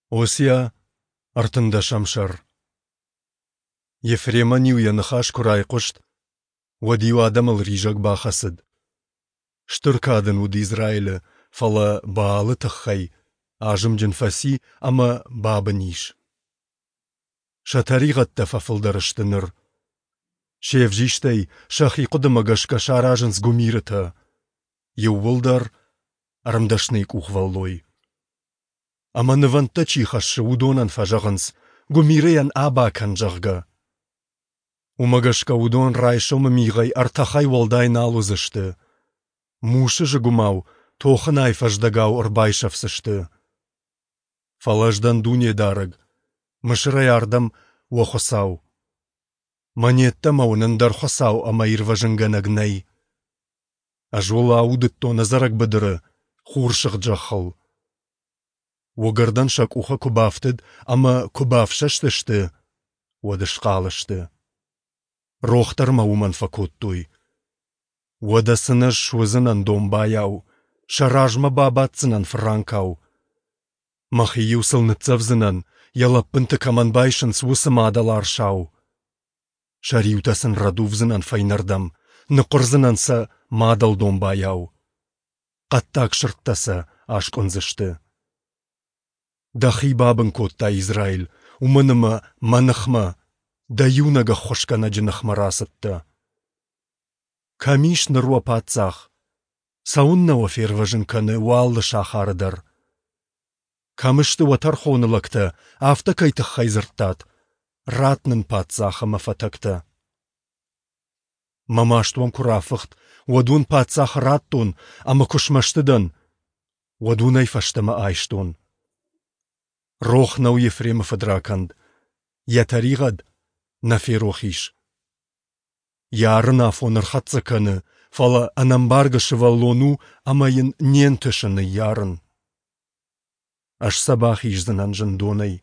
Осиа, ӕртындӕсӕм сӕр. Ефремӕн-иу йӕ ныхас куы райхъуыст, уӕд-иу адӕмыл ризӕг бахӕцыд. Стыр кад ын уыд Израилы, фӕлӕ Баалы тыххӕй азымджын фӕци ӕмӕ бабын ис. Сӕ тӕригъӕдтӕ фӕфылдӕр сты ныр. Се взистӕй сӕхи хъуыдымӕ гӕсгӕ саразынц гуымирытӕ. Иууылдӕр ӕрмдӕсныйы къухвӕллой. Ӕмӕ нывӕндтӕ чи хӕссы, уыдонӕн фӕзӕгъынц, гуымирыйӕн аба кӕн, зӕгъгӕ. Уымӕ гӕсгӕ уыдон райсомы мигъӕй ӕртӕхӕй уӕлдай нал уыдзысты. Мусы зыгуымау, тохынайы фӕздӕгау ӕрбайсӕфдзысты. Фӕлӕ ӕз дӕн Дунедарӕг, Мысырӕй ардӕм уӕ Хуыцау. Мӕн йеддӕмӕ уын ӕндӕр Хуыцау ӕмӕ ирвӕзынгӕнӕг нӕй. Ӕз уыл аудыдтон ӕдзӕрӕг быдыры, хурсыгъд зӕххыл. Уыгӕрдӕн сӕ къухы куы бафтыд ӕмӕ куы бафсӕстысты, уӕд схъал сты. Рох дӕр мӕ уымӕн фӕкодтой. Уӕдӕ сын ӕз суыдзынӕн домбайау, сӕ размӕ бабаддзынӕн фыранкау. Мӕхи-иу сыл ныццӕвдзынӕн, йӕ лӕппынты кӕмӕн байсынц, уыцы мадӕл арсау. Сӕ риутӕ сын рӕдувдзынӕн фӕйнӕрдӕм, ныхъуырдзынӕн сӕ мадӕл домбайау. Хъӕддаг сырдтӕ сӕ аскъуындзысты. Дӕхи бабын кодтай, Израиль, уымӕн ӕмӕ мӕ ныхмӕ, дӕ иунӕг ӕххуысгӕнӕджы ныхмӕ рацыдтӕ. Кӕм ис ныр уӕ паддзах? Цӕуыннӕ уӕ фервӕзын кӕны уӕ алы сахары дӕр? Кӕм сты уӕ тӕрхоны лӕгтӕ, афтӕ кӕй тыххӕй дзырдтат? Ратт нын паддзах ӕмӕ фӕтӕгтӕ. Мӕ маст уӕм куы рафыхт, уӕд уын паддзахы радтон, ӕмӕ куы смӕсты дӕн, уӕд уын ӕй фӕстӕмӕ айстон. Рох нӕу Ефремы фыдракӕнд, йӕ тӕригъӕд нӕ ферох ис. Йӕ арын афон ӕрхӕццӕ кӕны, фӕлӕ ӕнӕмбаргӕ сывӕллон у ӕмӕ йын не нтысы ныййарын. Ӕз сӕ бахиздзынӕн зындонӕй,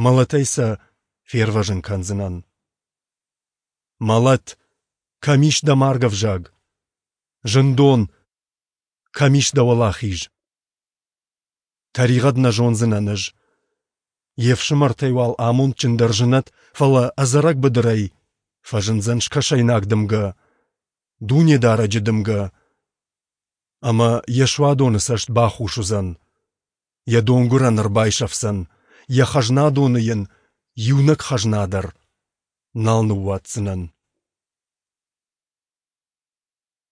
мӕлӕтӕй сӕ фервӕзын кӕндзынӕн. Мӕлӕт, кӕм ис дӕ маргӕвзаг? Зындон, кӕм ис дӕ уӕлахиз? Тӕригъӕд нӕ зондзынӕн ӕз. Йе фсымӕртӕй уал амондджындӕр зынӕд, фӕлӕ ӕдзӕрӕг быдырӕй фӕзындзӕн скӕсӕйнаг дымгӕ, Дунедарӕджы дымгӕ, ӕмӕ йӕ суадоны цӕст бахус уыдзӕн, йӕ донгуырӕн ӕрбайсӕфдзӕн, йӕ хӕзнадоны йын иунӕг хӕзна дӕр нал ныууадздзынӕн.